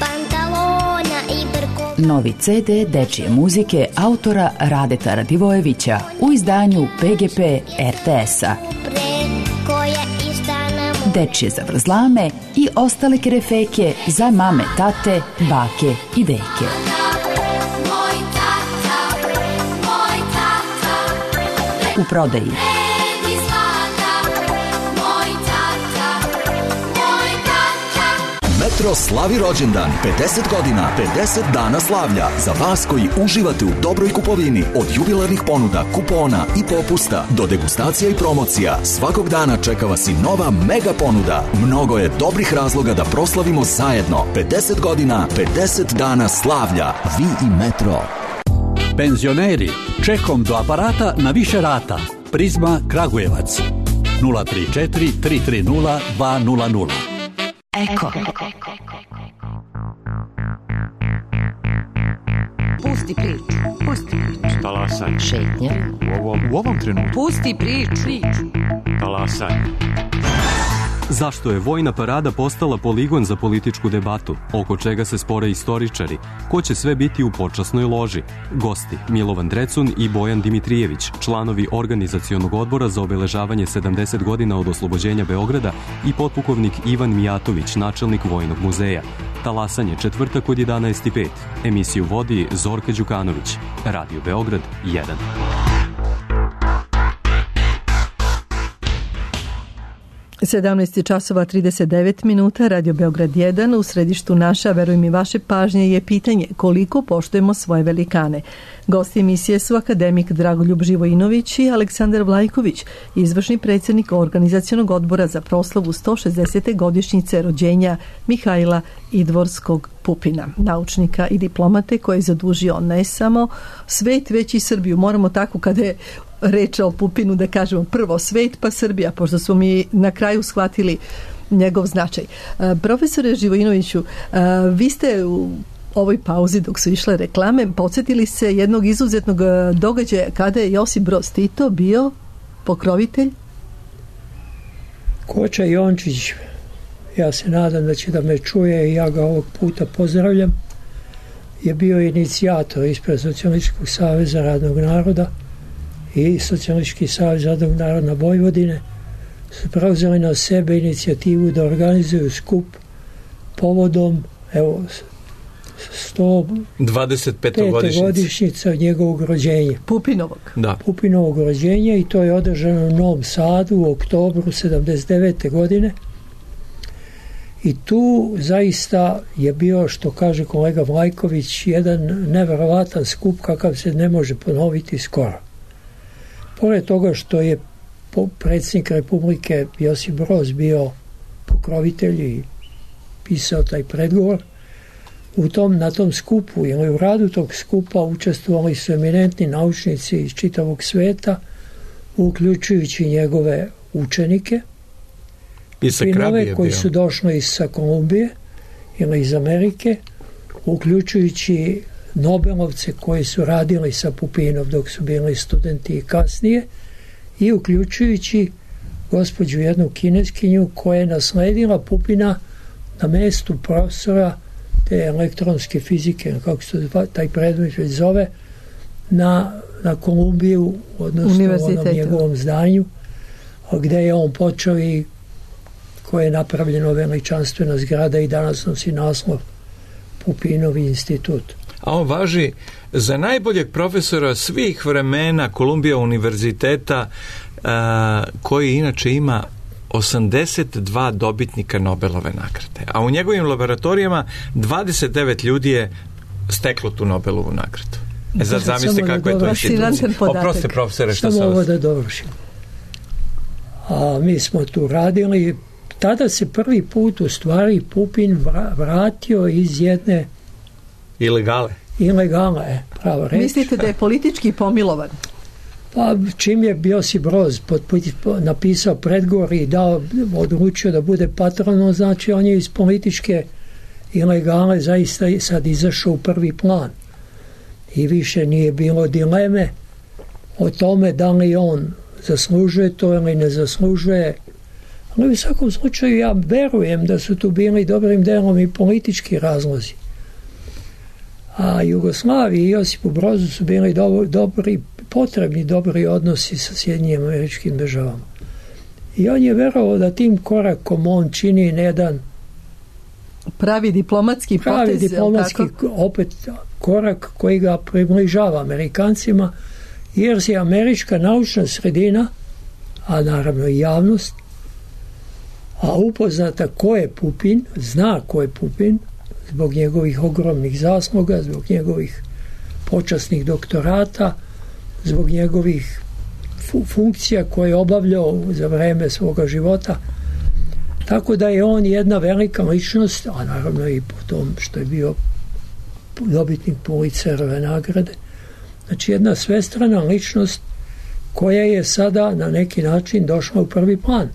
pantalona i brko. Novi ce de dečije muzike autora Radeta Radivojevića u izdanju P G P R T S-a. Dečije zavrzlame i ostale kerefeke za mame, tate, bake i deke. U prodaji. Metro slavi rođendan, pedeset godina, pedeset dana slavlja. Za vas koji uživate u dobroj kupovini, od jubilarnih ponuda, kupona i popusta do degustacija i promocija, svakog dana čeka vas i nova mega ponuda. Mnogo je dobrih razloga da proslavimo zajedno. pedeset godina, pedeset dana slavlja. Vi i Metro. Penzioneri, čekom do aparata na više rata. Prizma Kragujevac. nula tri četiri tri tri nula dva nula nula. Eko. Pusti priču, pusti priču. Talasaj. Šetnja. U ovom, u ovom trenutku. Pusti priču. Talasaj. Zašto je vojna parada postala poligon za političku debatu? Oko čega se spore istoričari? Ko će sve biti u počasnoj loži? Gosti Milovan Drecun i Bojan Dimitrijević, članovi organizacionog odbora za obeležavanje sedamdeset godina od oslobođenja Beograda i potpukovnik Ivan Mijatović, načelnik Vojnog muzeja. Talasanje četvrtak od jedanaest i pet. Emisiju vodi Zorka Đukanović. Radio Beograd jedan. sedamnaest časova trideset devet minuta, Radio Beograd jedan, u središtu naša, verujem i vaše pažnje, je pitanje koliko poštujemo svoje velikane. Gosti emisije su akademik Dragoljub Živojinović i Aleksandar Vlajković, izvršni predsjednik organizacionog odbora za proslavu sto šezdesete godišnjice rođenja Mihajla Idvorskog Pupina, naučnika i diplomate koji je zadužio ne samo svet, već i Srbiju. Moramo tako kada je reč o Pupinu da kažemo prvo svet pa Srbija, pošto smo mi na kraju shvatili njegov značaj. Profesore Živojinoviću, vi ste u ovoj pauzi dok su išle reklame podsjetili se jednog izuzetnog događaja kada je Josip Broz Tito bio pokrovitelj. Koča Jončić, ja se nadam da će da me čuje i ja ga ovog puta pozdravljam, je bio inicijator ispred Socijalističkog saveza radnog naroda i Socijalistički savez radnog naroda Vojvodine su preuzeli na sebe inicijativu da organizuju skup povodom evo sto dvadeset pete godišnjica njegovog rođenja. Pupinovog. Da. Pupinovog rođenja i to je održano u Novom Sadu u oktobru sedamdeset devete godine. I tu zaista je bio, što kaže kolega Vlajković, jedan neverovatan skup kakav se ne može ponoviti skoro. Pored toga što je predsjednik Republike Josip Broz bio pokrovitelj i pisao taj predgovor, u tom, na tom skupu ili u radu tog skupa učestvovali su eminentni naučnici iz čitavog sveta, uključujući njegove učenike, Pupinove koji su došli iz Kolumbije ili iz Amerike, uključujući Nobelovce koji su radili sa Pupinom dok su bili studenti i kasnije, i uključujući gospođu jednu Kineskinju koja je nasledila Pupina na mestu profesora te elektronske fizike, kako se taj predmet već zove, na, na Kolumbiju, odnosno u onom njegovom zdanju, gde je on počeo i koje je napravljeno veličanstvena zgrada i danas nosi naslov Pupinovi institut. A on važi za najboljeg profesora svih vremena Kolumbija univerziteta, a, koji inače ima osamdeset dva dobitnika Nobelove nagrade. A u njegovim laboratorijama dvadeset devet ljudi je steklo tu Nobelovu nagradu. E sad zamisli kako je to institucija. Oprosti profesore, što samo ovo da dovršim. A mi smo tu radili, tada se prvi put u stvari Pupin vratio iz jedne ilegale. Ilegale, pravo reći. Mislite da je politički pomilovan? Pa čim je Josip Broz napisao predgovor i dao, odlučio da bude patronom, znači on je iz političke ilegale zaista sad izašao u prvi plan. I više nije bilo dileme o tome da li on zaslužuje to ili ne zaslužuje. Ali u svakom slučaju ja verujem da su tu bili dobrim delom i politički razlozi. A Jugoslaviji i Josipu Brozu su bili do, dobri, potrebni dobri odnosi sa Sjedinjenim Američkim Državama. I on je verovao da tim korakom on čini jedan pravi diplomatski pravi potez, diplomatski opet korak koji ga približava Amerikancima, jer se američka naučna sredina, a naravno i javnost, a upoznata ko je Pupin, zna ko je Pupin, zbog njegovih ogromnih zasluga, zbog njegovih počasnih doktorata, zbog njegovih fu- funkcija koje je obavljao za vreme svoga života. Tako da je on jedna velika ličnost, a naravno i po tom što je bio dobitnik Pulitzerove nagrade. Znači jedna svestrana ličnost koja je sada na neki način došla u prvi plan.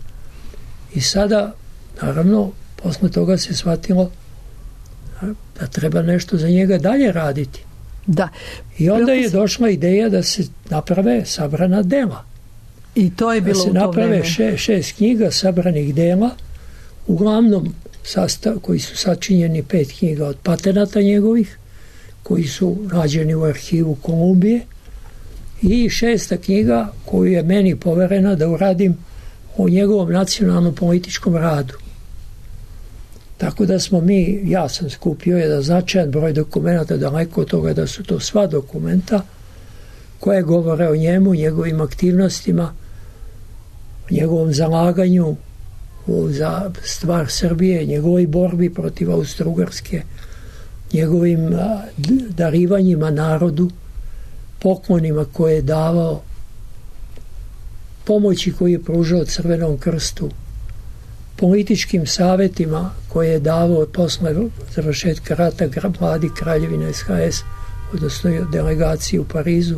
I sada, naravno, posle toga se shvatilo da treba nešto za njega dalje raditi. Da. I onda je došla ideja da se naprave sabrana dela. I to je bilo da se u to naprave vreme. Še, šest knjiga sabranih dela, uglavnom sastav, koji su sačinjeni pet knjiga od patenata njegovih, koji su nađeni u arhivu Kolumbije, i šesta knjiga koju je meni poverena da uradim o njegovom nacionalnom političkom radu. Tako da smo mi, ja sam skupio jedan značajan broj dokumenta, daleko od toga da su to sva dokumenta koje govore o njemu, njegovim aktivnostima, o njegovom zalaganju za stvar Srbije, njegovoj borbi protiv Austro-Ugarske, njegovim darivanjima narodu, poklonima koje je davao, pomoći koju je pružao Crvenom krstu, političkim savjetima koje je davao posle završetka rata vladi Kraljevine S H S, odnosno delegaciji u Parizu.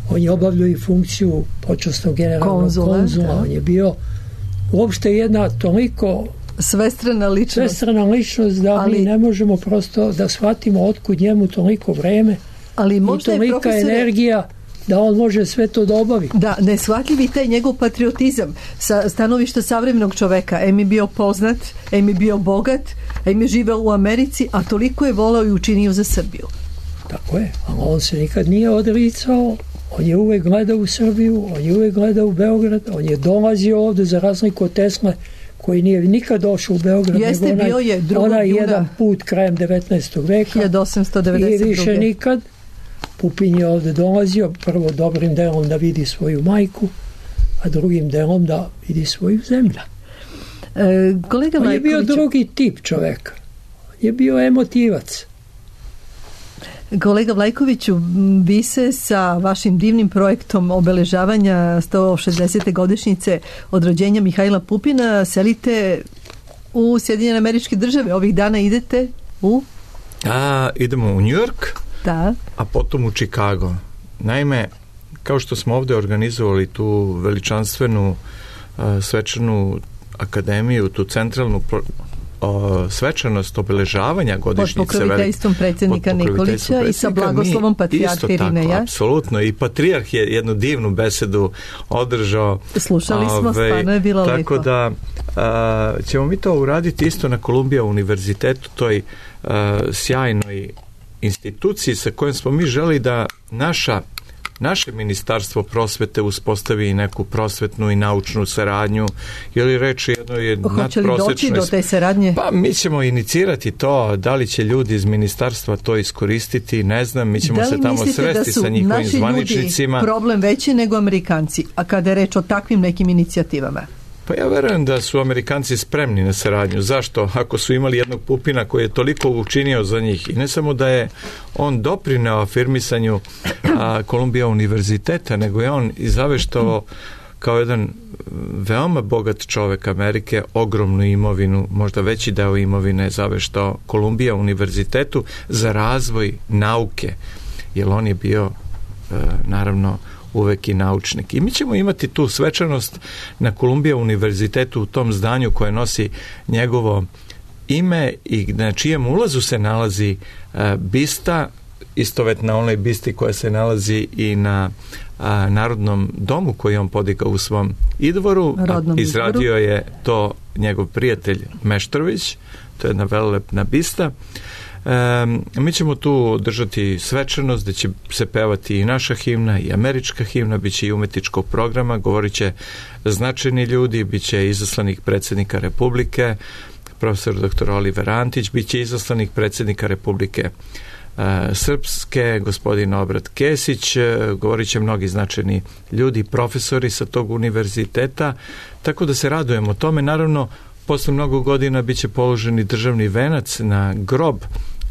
On je obavljao i funkciju počasnog generalnog konzula, konzula. On je bio uopšte jedna toliko svestrana ličnost, svestrana ličnost da ali, mi ne možemo prosto da shvatimo otkud njemu toliko vreme, ali i tolika profesore... energija da on može sve to da obavi. Da, neshvatljivi taj njegov patriotizam sa stanovišta savremenog čoveka. Em je bio poznat, em je bio bogat, em je živeo u Americi, a toliko je volao i učinio za Srbiju. Tako je, a on se nikad nije odricao, on je uvek gledao u Srbiju, on je uvek gledao u Beograd, on je dolazio ovde za razliku od Tesle, koji nije nikad došao u Beograd. Jeste, nego bio je drugog onaj juna jedan put krajem devetnaestog veka hiljadu osamsto devedeset druge. I više nikad. Pupin je ovde dolazio, prvo dobrim delom da vidi svoju majku, a drugim delom da vidi svoju zemlju. E, kolega on je bio Majković... drugi tip čoveka. On je bio emotivac. Kolega Vlajkoviću, vi se sa vašim divnim projektom obeležavanja sto šezdesete godišnjice od rođenja Mihajla Pupina selite u Sjedinjene Američke Države. Ovih dana idete u... A, idemo u New York, da. A potom u Chicago. Naime, kao što smo ovde organizovali tu veličanstvenu a, svečanu akademiju, tu centralnu pro, o, svečanost obeležavanja godišnjice. Pod pokroviteljstvom predsjednika Nikolića i sa blagoslovom patrijarha Irineja. Apsolutno. I patrijarh je jednu divnu besedu održao. Slušali smo, ove, stvarno je bilo tako lepo. Tako da a, ćemo mi to uraditi isto na Columbia univerzitetu, toj a, sjajnoj instituciji sa kojom smo mi želi da naša naše ministarstvo prosvete uspostavi neku prosvetnu i naučnu saradnju, ili reći jedno je nadprosečnoj... Hoće li doći do te saradnje? Pa mi ćemo inicirati to, da li će ljudi iz ministarstva to iskoristiti, ne znam, mi ćemo se tamo sresti sa njihovim zvaničnicima. Da li mislite da su naši ljudi problem veći nego Amerikanci, a kada je reč o takvim nekim inicijativama? Pa ja verujem da su Amerikanci spremni na saradnju. Zašto? Ako su imali jednog Pupina koji je toliko učinio za njih i ne samo da je on doprineo afirmisanju a, Kolumbija univerziteta, nego je on i zaveštao kao jedan veoma bogat čovek Amerike, ogromnu imovinu, možda veći deo imovine zaveštao Kolumbija univerzitetu za razvoj nauke, jer on je bio e, naravno uvek i naučnik. I mi ćemo imati tu svečanost na Kolumbija univerzitetu u tom zdanju koje nosi njegovo ime i na čijem ulazu se nalazi e, bista, istovetna onoj bisti koja se nalazi i na a, Narodnom domu koji on podigao u svom idvoru. Rodnom Izradio izvoru. je to njegov prijatelj Meštrović, to je jedna velelepna bista. E, mi ćemo tu držati svečanost gde će se pevati i naša himna i američka himna, bit će i umetničkog programa, govorit će značajni ljudi, bit će izaslanik predsjednika Republike, profesor doktor Oliver Antić, bit će izaslanik predsjednika Republike Srpske, gospodin Obrat Kesić, govorit će mnogi značajni ljudi, profesori sa tog univerziteta, tako da se radujemo tome. Naravno, posle mnogo godina bit će položeni državni venac na grob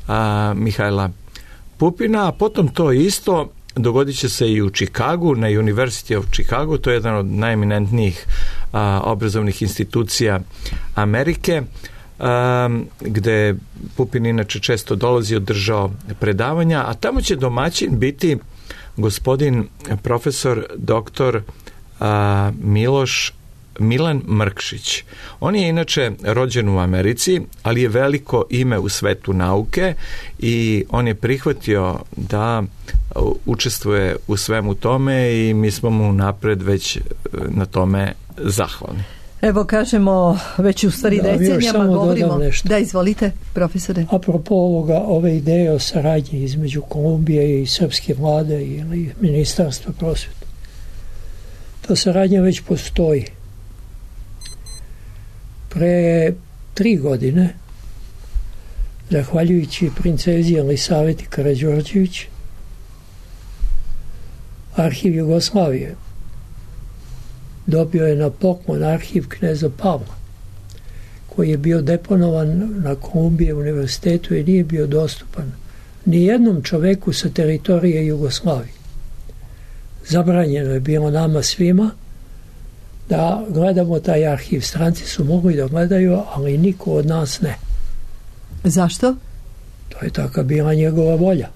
a, Mihajla Pupina, a potom to isto dogodit će se i u Čikagu, na University of Chicago, to je jedan od najeminentnijih a, obrazovnih institucija Amerike, Um, gde Pupin inače često dolazi, održao predavanja, a tamo će domaćin biti gospodin profesor doktor uh, Miloš Milan Mrkšić. On je inače rođen u Americi, ali je veliko ime u svetu nauke i on je prihvatio da učestvuje u svemu tome i mi smo mu napred već na tome zahvalni. Evo kažemo, već u stvari da, decenijama govorimo. Da, izvolite, profesore. Apropo ovoga, ove ideje o saradnji između Kolumbije i srpske vlade ili ministarstva prosvjete. Ta saradnja već postoji. Pre tri godine, zahvaljujući princezi Elisaveti Karađorđević, Arhiv Jugoslavije dobio je na poklon arhiv kneza Pavla, koji je bio deponovan na Kolumbije univerzitetu i nije bio dostupan ni jednom čoveku sa teritorije Jugoslavije. Zabranjeno je bilo nama svima da gledamo taj arhiv. Stranci su mogli da gledaju, ali niko od nas ne. Zašto? To je taka bila njegova volja.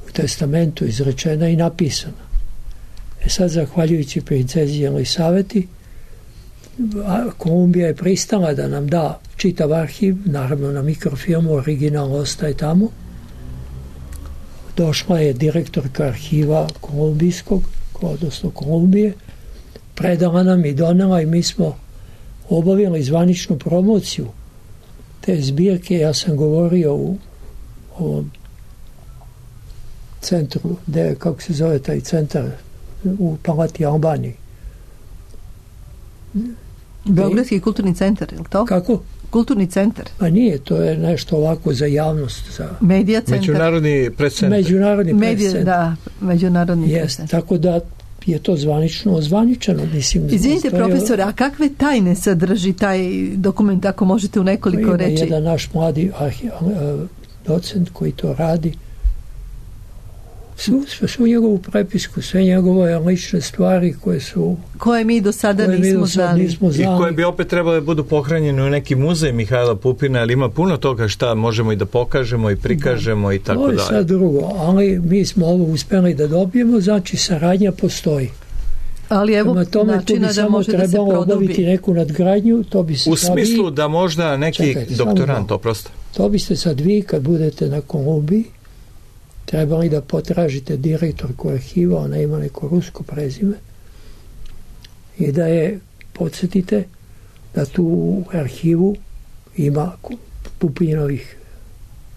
U testamentu izrečena i napisana. E sad, zahvaljujući princezi Elisaveti, Kolumbija je pristala da nam da čitav arhiv, naravno na mikrofilmu, original ostaje tamo. Došla je direktorka arhiva kolumbijskog, odnosno Kolumbije, predala nam i donela i mi smo obavili zvaničnu promociju te zbirke. Ja sam govorio u ovom centru, de, kako se zove taj centar, u Palati Albaniji. Beogradski kulturni centar, je li to? Kako? Kulturni centar. A nije, to je nešto ovako za javnost. Za... Medija centar. Međunarodni prescentar. Međunarodni Medija, prescentar. da, međunarodni Jest, prescentar. tako da je to zvanično ozvaničeno. Mislim, izvinite, profesore, a kakve tajne sadrži taj dokument, ako možete u nekoliko ima reči? Ima jedan naš mladi arhi, docent koji to radi. Svu, svu njegovu prepisku, sve njegove lične stvari koje su... Koje mi do sada nismo, do sada znali. nismo znali. I koje bi opet trebale da budu pohranjene u neki muzej Mihajla Pupina, ali ima puno toga šta možemo i da pokažemo i prikažemo da. I tako dalje. To je sad drugo, ali mi smo ovo uspeli da dobijemo, znači saradnja postoji. Ali evo tome, načina da može da se trebalo produbi. Obaviti neku nadgradnju, to bi se u sad smislu vi... da možda neki Čekajte, doktorant, oprosto. To biste sad vi, kad budete na Kolumbiji, trebali da potražite direktorku arhiva, ona ima neko rusko prezime, i da je podsjetite da tu u arhivu ima Pupinovih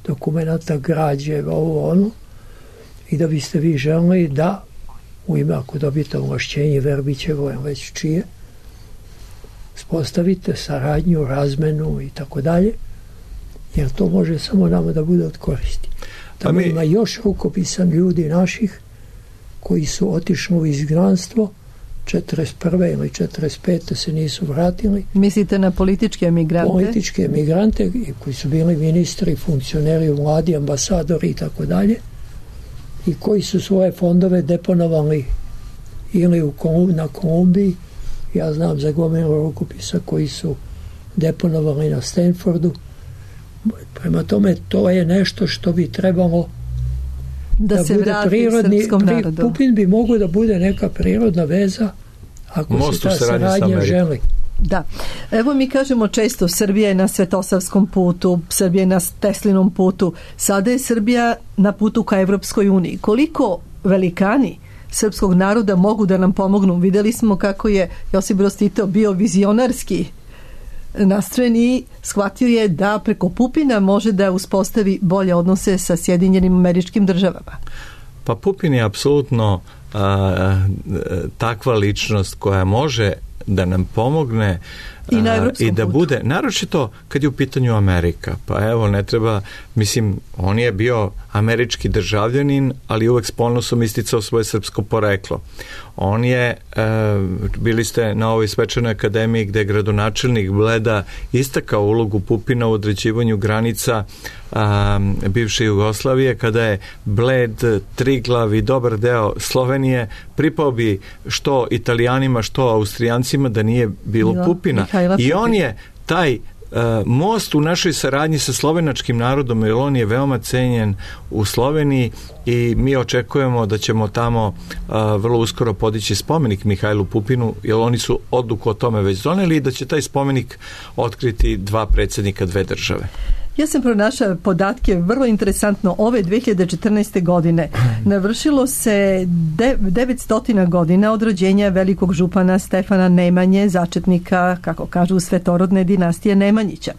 dokumenata, građe, ovo ono, i da biste vi želeli da u ime, ako dobijete ovlašćenje Verbićevo, već čije, spostavite saradnju, razmenu i tako dalje, jer to može samo nama da bude od koristi. Tamo mi... ima još rukopisan ljudi naših koji su otišli u izgnanstvo četrdeset prve ili četrdeset pete se nisu vratili. Mislite na političke emigrante? Političke emigrante koji su bili ministri, funkcioneri u vladi, ambasadori i tako dalje, i koji su svoje fondove deponovali ili u Kolum, na Kolumbiji. Ja znam za gomilu rukopisa koji su deponovali na Stanfordu. Prema tome, to je nešto što bi trebalo da, da se bude prirodni. Pri, Pupin bi mogao da bude neka prirodna veza ako Most se ta saradnja želi. Da. Evo mi kažemo često Srbija je na Svetosavskom putu, Srbija je na Teslinom putu, sada je Srbija na putu ka Evropskoj uniji. Koliko velikani srpskog naroda mogu da nam pomognu? Videli smo kako je Josip Broz Tito bio vizionarski nastrojen i shvatio je da preko Pupina može da uspostavi bolje odnose sa Sjedinjenim Američkim Državama. Pa Pupin je apsolutno a, takva ličnost koja može da nam pomogne i, na i da putu. Bude, naročito kad je u pitanju Amerika. Pa evo, ne treba, mislim, on je bio američki državljanin, ali uvek s ponosom isticao svoje srpsko poreklo. On je, e, bili ste na ovoj svečanoj akademiji gde je gradonačelnik Bleda istakao ulogu Pupina u određivanju granica a, bivše Jugoslavije, kada je Bled, Triglav i dobar deo Slovenije pripao bi što Italijanima, što Austrijancima da nije bilo Milo, Pupina. Mihajla I on je taj Uh, most u našoj saradnji sa slovenačkim narodom, jer on je veoma cenjen u Sloveniji i mi očekujemo da ćemo tamo uh, vrlo uskoro podići spomenik Mihajlu Pupinu, jer oni su odluku o tome već doneli i da će taj spomenik otkriti dva predsjednika dve države. Ja sam pronašla podatke, vrlo interesantno, ove dve hiljade četrnaeste. godine navršilo se devetsto godina od rođenja velikog župana Stefana Nemanje, začetnika, kako kažu, svetorodne dinastije Nemanjića.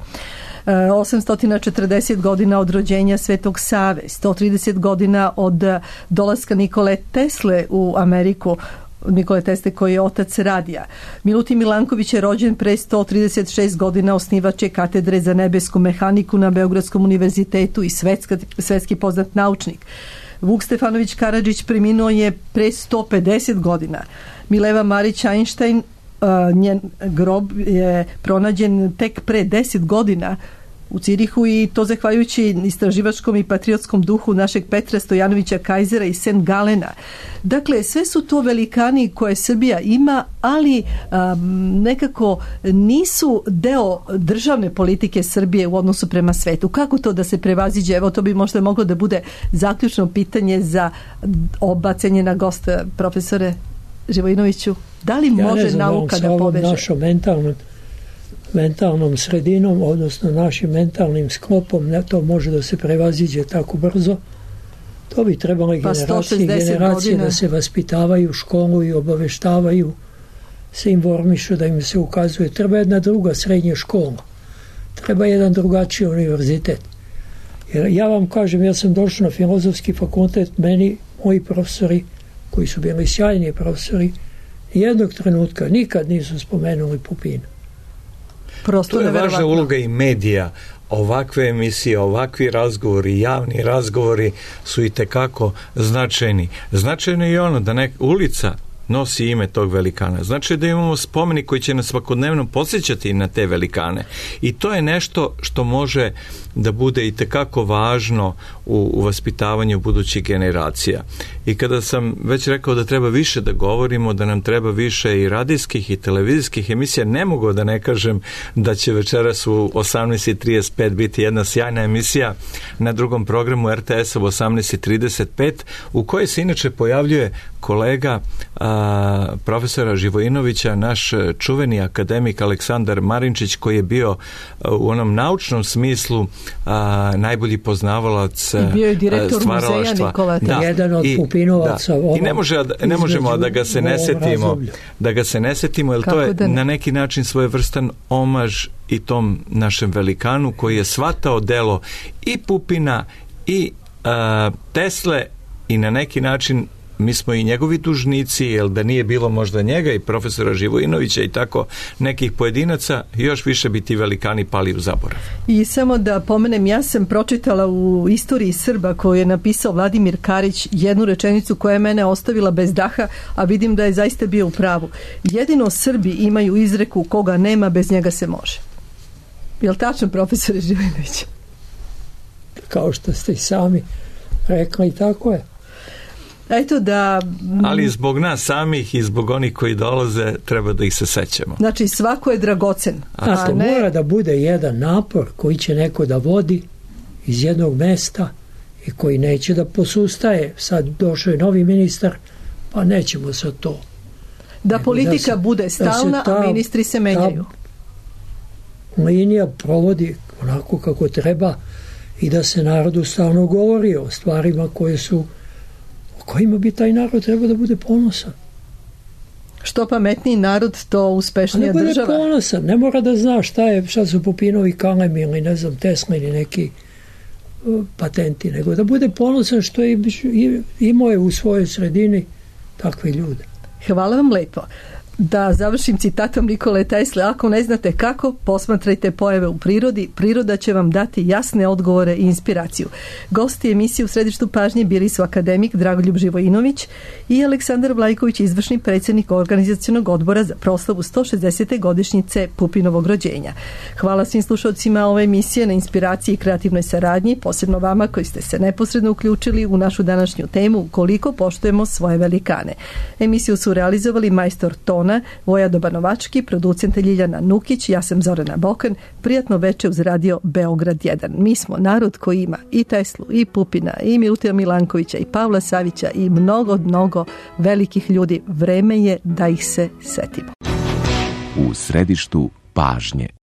osamsto četrdeset godina od rođenja Svetog Save, sto trideset godina od dolaska Nikole Tesle u Ameriku, Nikole Tesle koji je otac radija. Milutin Milanković je rođen pre sto trideset šest godina, osnivač je katedre za nebesku mehaniku na Beogradskom univerzitetu i svetska, svetski poznat naučnik. Vuk Stefanović Karadžić preminuo je pre sto pedeset godina. Mileva Marić Einstein, uh, njen grob je pronađen tek pre deset godina u Cirihu i to zahvaljujući istraživačkom i patriotskom duhu našeg Petra Stojanovića Kajzera i Saint Galena. Dakle, sve su to velikani koje Srbija ima, ali um, nekako nisu deo državne politike Srbije u odnosu prema svetu. Kako to da se prevaziđe? Evo, to bi možda moglo da bude zaključno pitanje za oba cenjena gosta, profesore Živojinoviću. Da li ja može ne znam, nauka da poveže? Našom mentalnom mentalnom sredinom, odnosno našim mentalnim sklopom, ne to može da se prevaziđe tako brzo. To bi trebalo pa generacije i generacije godina. Da se vaspitavaju, školuju, obaveštavaju, se informišu, da im se ukazuje. Treba jedna druga srednja škola. Treba jedan drugačiji univerzitet. Jer ja vam kažem, ja sam došao na filozofski fakultet, meni, moji profesori, koji su bili sjajni profesori, jednog trenutka nikad nisu spomenuli Pupina. Prosto to je važna uloga i medija. Ovakve emisije, ovakvi razgovori, javni razgovori su i tekako značajni. Značajno je i ono da neka ulica nosi ime tog velikana. Znači da imamo spomenik koji će nas svakodnevno podsjećati na te velikane. I to je nešto što može da bude i tekako važno u, u vaspitavanju budućih generacija. I kada sam već rekao da treba više da govorimo, da nam treba više i radijskih i televizijskih emisija, ne mogu da ne kažem da će večeras u osamnaest i trideset pet biti jedna sjajna emisija na drugom programu er te esa u osamnaest i trideset pet, u kojoj se inače pojavljuje kolega a, profesora Živojinovića, naš čuveni akademik Aleksandar Marinčić, koji je bio a, u onom naučnom smislu a, najbolji poznavalac i bio je direktor muzeja Nikola Tesla. Jedan od Pupinovaca. I ne, može, ne možemo da ga se ne setimo, razdoblju. da ga se ne setimo, jer Kako to je da na neki način svojevrstan omaž i tom našem velikanu koji je shvatao delo i Pupina i a, Tesle i na neki način mi smo i njegovi dužnici, jer da nije bilo možda njega i profesora Živojinovića i tako nekih pojedinaca, još više bi ti velikani pali u zaborav. I samo da pomenem, ja sam pročitala u Istoriji Srba koju je napisao Vladimir Karić jednu rečenicu koja je mene ostavila bez daha, a vidim da je zaista bio u pravu. Jedino Srbi imaju izreku koga nema, bez njega se može. Je li tačno, profesore Živojinović? Kao što ste i sami rekli, tako je. Eto da... Ali zbog nas samih i zbog onih koji dolaze treba da ih se sećamo. Znači svako je dragocen. A to ne... mora da bude jedan napor koji će neko da vodi iz jednog mesta i koji neće da posustaje. Sad došao je novi ministar, pa nećemo sad to. Da politika da se, bude stalna, ta, a ministri se menjaju. Linija provodi onako kako treba i da se narodu stalno govori o stvarima koje su kojima bi taj narod trebao da bude ponosan. Što pametniji narod, to uspešnija država. Ne bude ponosan, ne mora da zna šta je, šta su Pupinovi kalemi ili ne znam, Tesla ili neki uh, patenti, nego da bude ponosan što je imao je u svojoj sredini takve ljude. Hvala vam lepo. Da završim citatom Nikole Tesle, ako ne znate kako, posmatrajte pojave u prirodi, priroda će vam dati jasne odgovore i inspiraciju. Gosti emisije u središtu pažnje bili su akademik Dragoljub Živojinović i Aleksandar Vlajković, izvršni predsjednik organizacionog odbora za proslavu sto šezdesete godišnjice Pupinovog rođenja. Hvala svim slušalcima ove emisije na inspiraciji i kreativnoj saradnji, posebno vama koji ste se neposredno uključili u našu današnju temu koliko poštujemo svoje velikane. Emisiju su realizovali majstor Tona, Vojado Banovački, producent Ljiljana Nukić, ja sam Zorana Bokan. Prijatno veče uz radio Beograd jedan. Mi smo narod koji ima i Teslu, i Pupina, i Milutina Milankovića, i Pavla Savića, i mnogo, mnogo velikih ljudi. Vreme je da ih se setimo. U središtu pažnje.